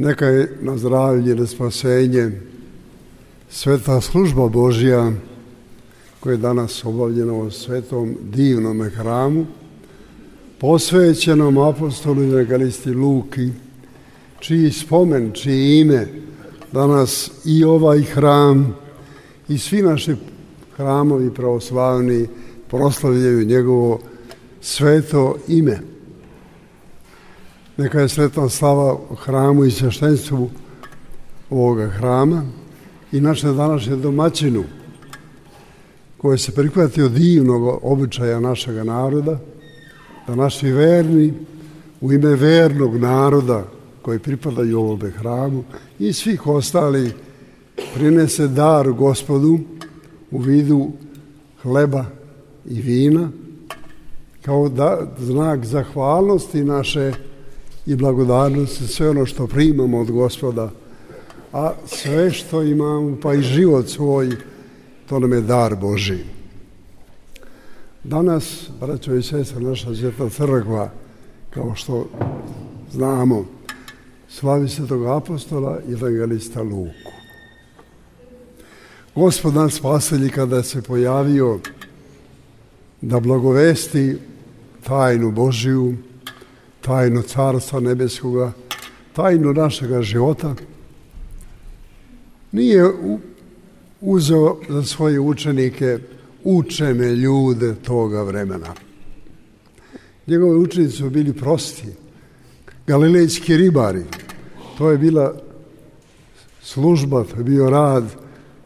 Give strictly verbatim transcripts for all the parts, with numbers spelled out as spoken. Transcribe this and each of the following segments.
Neka je na zdravlje, na spasenje sveta služba Božja koja je danas obavljena u svetom divnom hramu, posvećenom apostolu i evangelisti Luki, čiji spomen, čiji ime danas i ovaj hram i svi naši hramovi pravoslavni proslavljaju njegovo sveto ime. Neka je sretna slava hramu i sveštenstvu ovoga hrama i naše današnje domaćinu koje se prihvati od divnog običaja našega naroda, da naši verni u ime vernog naroda koji pripadaju ovome hramu i svih ostali prinese dar Gospodu u vidu hleba i vina kao da, znak zahvalnosti naše i blagodarnosti, sve ono što primamo od Gospoda, a sve što imamo, pa i život svoj, to nam je dar Božji. Danas, braćo i sestre, naša Sveta crkva, kao što znamo, slavi svetog apostola i evangelista Luku. Gospod nas spasitelj kada se pojavio da blagovesti tajnu Božiju, tajnu Carstva nebeskoga, tajnu našega života, nije uzeo za svoje učenike učene ljude toga vremena. Njegovi učenici su bili prosti, galilejski ribari. To je bila služba, to je bio rad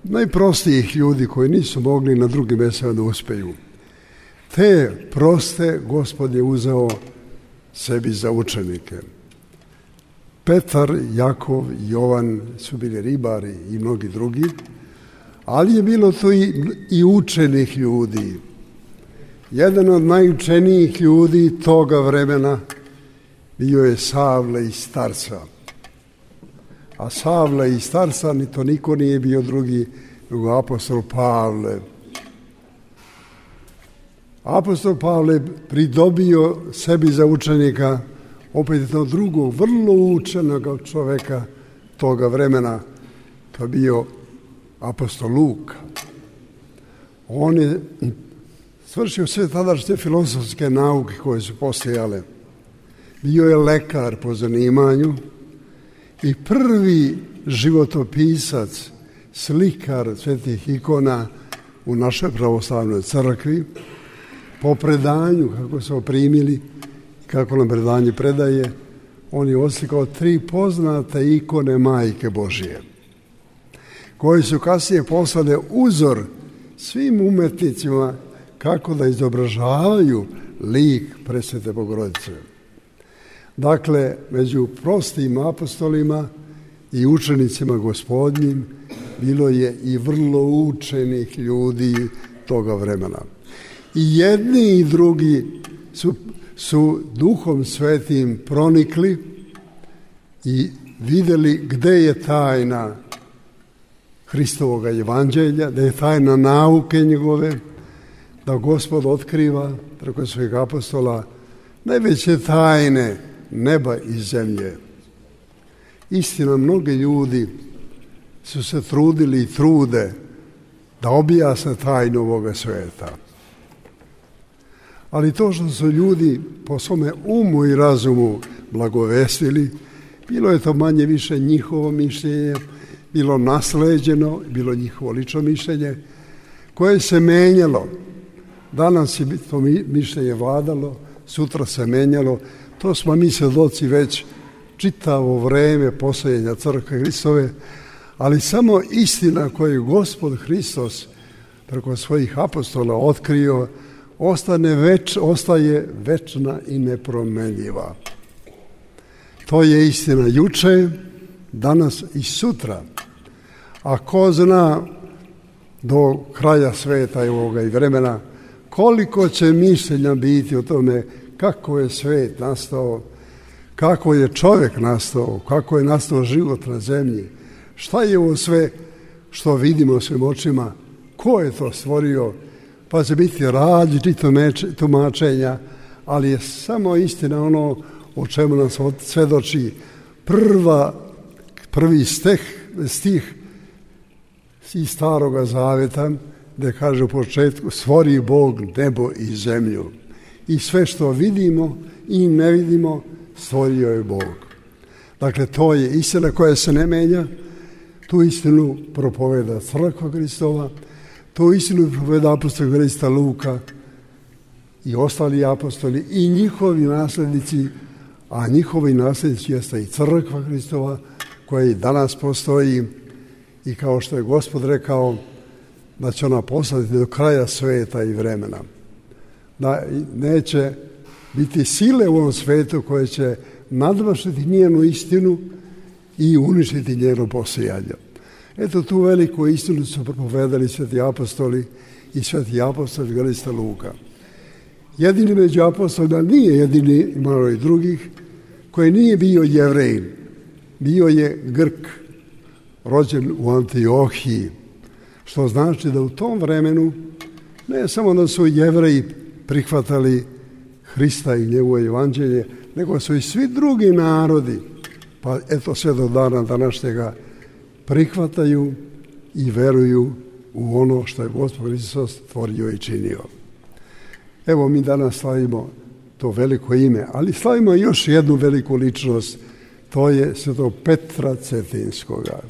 najprostijih ljudi koji nisu mogli na drugim mjestima da uspeju. Te proste Gospod je uzeo sebi za učenike. Petar, Jakov i Jovan su bili ribari i mnogi drugi, ali je bilo to i, i učenih ljudi. Jedan od najučenijih ljudi toga vremena bio je Savle iz Tarsa. A Savle iz Tarsa ni to niko nije bio drugi nego apostol Pavle. Apostol Pavle pridobio sebi za učenika opet jednog drugog, vrlo učenog čoveka toga vremena, to je bio apostol Luka. On je svršio sve tadašnje filozofske nauke koje su postojale. Bio je lekar po zanimanju i prvi životopisac, slikar svetih ikona u našoj pravoslavnoj crkvi. Po predanju, kako su primili, kako nam predanje predaje, on je oslikao tri poznate ikone Majke Božije, koje su kasnije postale uzor svim umetnicima kako da izobražavaju lik Presvete Bogorodice. Dakle, među prostim apostolima i učenicima Gospodnjim bilo je i vrlo učenih ljudi toga vremena. I jedni i drugi su, su Duhom Svetim pronikli i vidjeli gde je tajna Hristovoga evanđelja, da je tajna nauke njegove, da Gospod otkriva preko svojeg apostola najveće tajne neba i zemlje. Istina, mnogi ljudi su se trudili i trude da objasne tajnu ovoga sveta. Ali to što su ljudi po svome umu i razumu blagovestili, bilo je to manje više njihovo mišljenje, bilo nasleđeno, bilo njihovo lično mišljenje, koje se menjalo. Danas je to mišljenje vladalo, sutra se menjalo. To smo mi svjedoci već čitavo vreme postojanja Crkve Hristove, ali samo istina koju Gospod Hristos preko svojih apostola otkrio, ostane več, ostaje večna i nepromenljiva. To je istina juče, danas i sutra. A ko zna do kraja sveta i ovoga i vremena koliko će mišljenja biti o tome kako je svet nastao, kako je čovjek nastao, kako je nastao život na zemlji, šta je ovo sve što vidimo svim očima, ko je to stvorio, pa će biti različito tumačenja, ali je samo istina ono o čemu nam svjedoči prva prvi stih, stih iz Staroga Zaveta, gdje kaže u početku: stvori Bog nebo i zemlju. I sve što vidimo i ne vidimo stvorio je Bog. Dakle, to je istina koja se ne menja. Tu istinu propoveda Crkva Hristova, tu istinu propoveda apostol Krista Luka i ostali apostoli i njihovi nasljednici, a njihovi nasljednici jeste i Crkva Hristova koja i danas postoji, i kao što je Gospod rekao da će ona poslati do kraja sveta i vremena. Da neće biti sile u ovom svetu koje će nadmašiti njenu istinu i uništiti njeno postojanje. Eto, tu veliku istinu su propovedali sveti apostoli i sveti apostol Krista Luka. Jedini među apostolima nije jedini, imalo i drugih, koji nije bio Jevrejin. Bio je Grk, rođen u Antiohiji, što znači da u tom vremenu ne samo da su Jevreji prihvatali Hrista i njegovo evanđelje, nego su i svi drugi narodi, pa eto sve do dana današnjega, prihvataju i veruju u ono što je Gospod Hristos stvorio i činio. Evo, mi danas slavimo to veliko ime, ali slavimo još jednu veliku ličnost, to je svetog Petra Cetinskoga.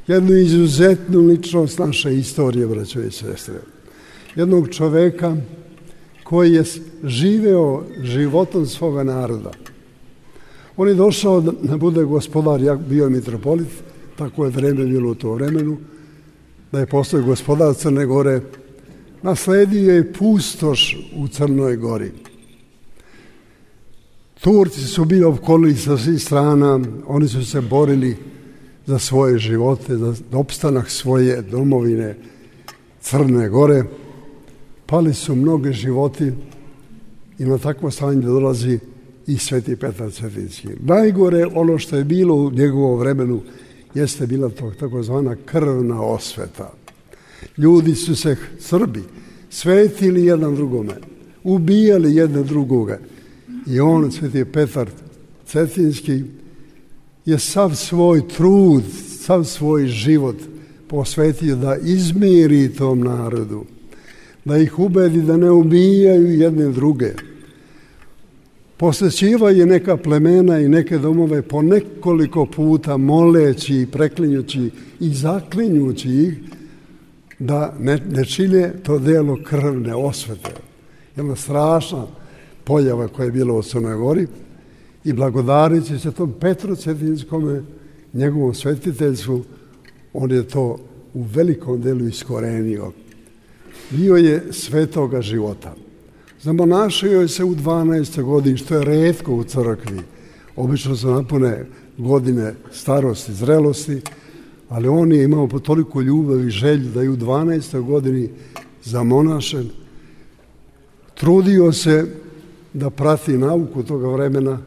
Jednu izuzetnu ličnost naše istorije, braćo i sestre. Jednog čoveka koji je živeo životom svoga naroda. On je došao da bude gospodar, ja bio mitropolit, tako je vreme bilo u to vremenu, da je postao gospodar Crne Gore. Nasledio je pustoš u Crnoj Gori. Turci su bili opkolili sa svih strana, oni su se borili za svoje živote, za opstanak svoje domovine Crne Gore. Pali su mnogi životi i na takvo stanje dolazi i sveti Petar Cetinski. Najgore ono što je bilo u njegovom vremenu jeste bila to takozvana krvna osveta. Ljudi su se, Srbi, svetili jedan drugome, ubijali jedne drugoga. I on, sveti Petar Cetinski, je sav svoj trud, sav svoj život posvetio da izmiri tom narodu, da ih ubedi da ne ubijaju jedne druge. Posvećivao je neka plemena i neke domove po nekoliko puta, moleći, preklinjući i zaklinjući ih da ne, ne čine to delo krvne osvete. Jedna strašna pojava koja je bila u Crnoj Gori, i blagodarići se tom Petru Cetinskome, njegovom svetiteljstvu, on je to u velikom delu iskorenio. Bio je svetoga života. Zamonašio je se u dvanaestoj godini, što je retko u crkvi. Obično su napune godine starosti, zrelosti, ali on je imao po toliko ljubavi i želju da je u dvanaestoj godini zamonašen. Trudio se da prati nauku toga vremena,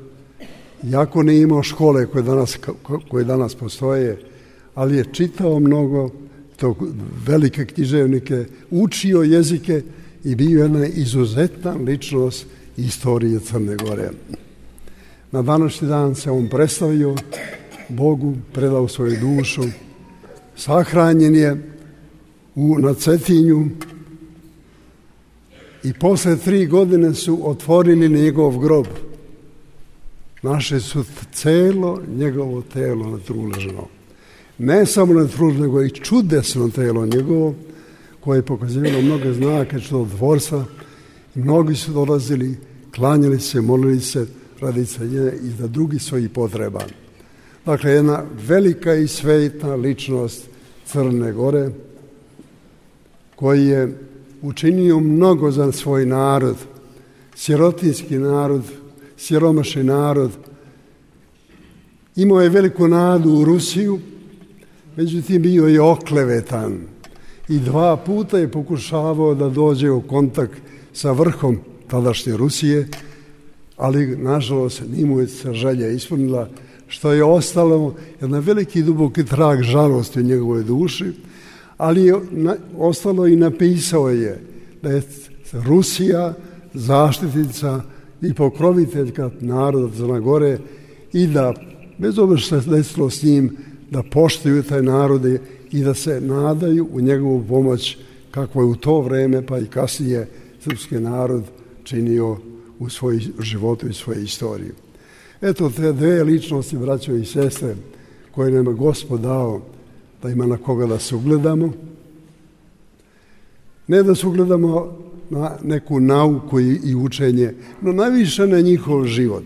iako nije imao škole koje danas, koje danas postoje, ali je čitao mnogo, to velike književnike, učio jezike i bio jedna izuzetna ličnost istorije Crne Gore. Na današnji dan se on predstavio Bogu, predao svoju dušu, sahranjen je u, na Cetinju i posle tri godine su otvorili njegov grob. Našli su celo njegovo telo na tru ležano. Ne samo na tru, nego i čudesno telo njegovo, koje je pokazivalo mnoge znake čudotvorstva. Mnogi su dolazili, klanjali se, molili se radi cenjenja i za drugih svojih potreba. Dakle, jedna velika i svetna ličnost Crne Gore, koji je učinio mnogo za svoj narod, sirotinski narod, siromašni narod. Imao je veliku nadu u Rusiju, međutim bio je oklevetan i dva puta je pokušavao da dođe u kontakt sa vrhom tadašnje Rusije, ali nažalost nije mu se želja ispunila, što je ostalo jedan veliki duboki trag žalosti u njegovoj duši, ali je na, ostalo i napisao je da je Rusija zaštitnica i pokroviteljka naroda Crne Gore i da, bez obzira što se desilo s njim, da poštuju taj narode i da se nadaju u njegovu pomoć kako je u to vreme pa i kasnije srpski narod činio u svoj životu i svojoj istoriji. Eto te dve ličnosti, braćo i sestre, koje nam je Gospod dao da ima na koga da se ugledamo. Ne da se ugledamo na neku nauku i učenje, no najviše na njihov život.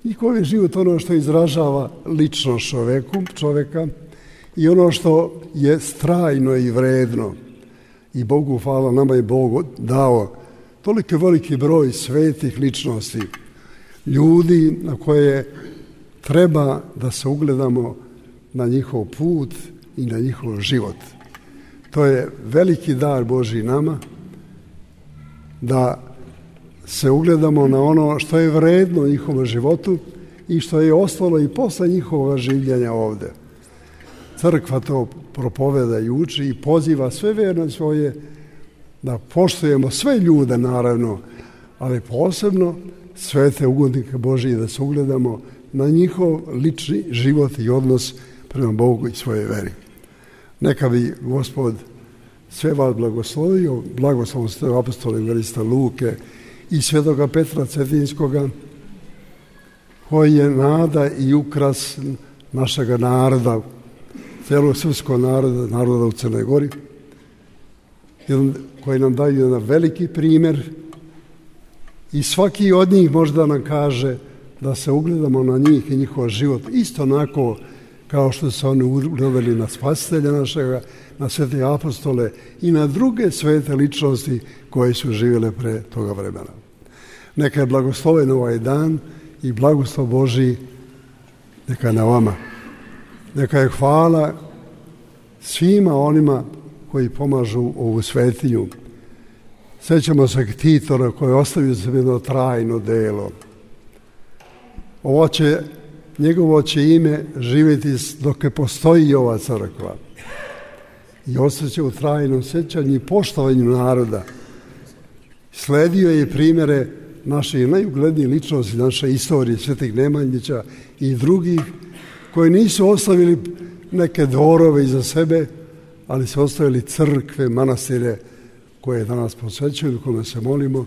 Njihov je život ono što izražava ličnost čoveku, čoveka i ono što je strajno i vredno. I Bogu hvala, nama je Bog dao toliko veliki broj svetih ličnosti, ljudi na koje treba da se ugledamo na njihov put i na njihov život. To je veliki dar Božji nama, da se ugledamo na ono što je vredno u njihovom životu i što je ostalo i posle njihovog življenja ovde. Crkva to propoveda i uči i poziva sve verne svoje da poštujemo sve ljude, naravno, ali posebno svete ugodnike Božije, da se ugledamo na njihov lični život i odnos prema Bogu i svoje veri. Neka bi Gospod sve vas blagoslovio, blagoslovom ste apostole evangelista Luke i svetoga Petra Cetinskoga, koji je nada i ukras našega naroda, celog srpskog naroda, naroda u Crnoj Gori, koji nam daju jedan veliki primjer i svaki od njih možda nam kaže da se ugledamo na njih i njihov život isto onako kao što su oni ugledali na Spasitelja našega, na svete apostole i na druge svete ličnosti koje su živjele pre toga vremena. Neka je blagosloven ovaj dan i blagoslov Božji neka je na vama. Neka je hvala svima onima koji pomažu ovu svetinju. Sećamo se Titora koji je ostavio za jedno trajno delo. Ovo će, njegovo će ime živjeti dok je postoji ova crkva. I ostaće u trajnom sećanju i poštovanju naroda. Sledio je primjere naše najuglednije ličnosti, naše istorije, Svetih Nemanjića i drugih, koji nisu ostavili neke dvorove iza sebe, ali su ostavili crkve, manastire koje danas posvećuju, kome se molimo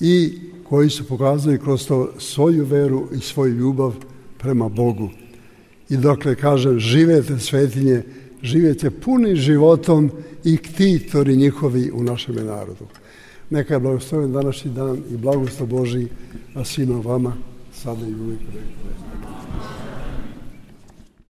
i koji su pokazali kroz to svoju veru i svoju ljubav prema Bogu. I dokle kažem, živete svetinje, živete puni životom i ktitori njihovi u našem narodu. Neka je blagosloven današnji dan i blagoslov Božji, a svima vama, sada i uvijek.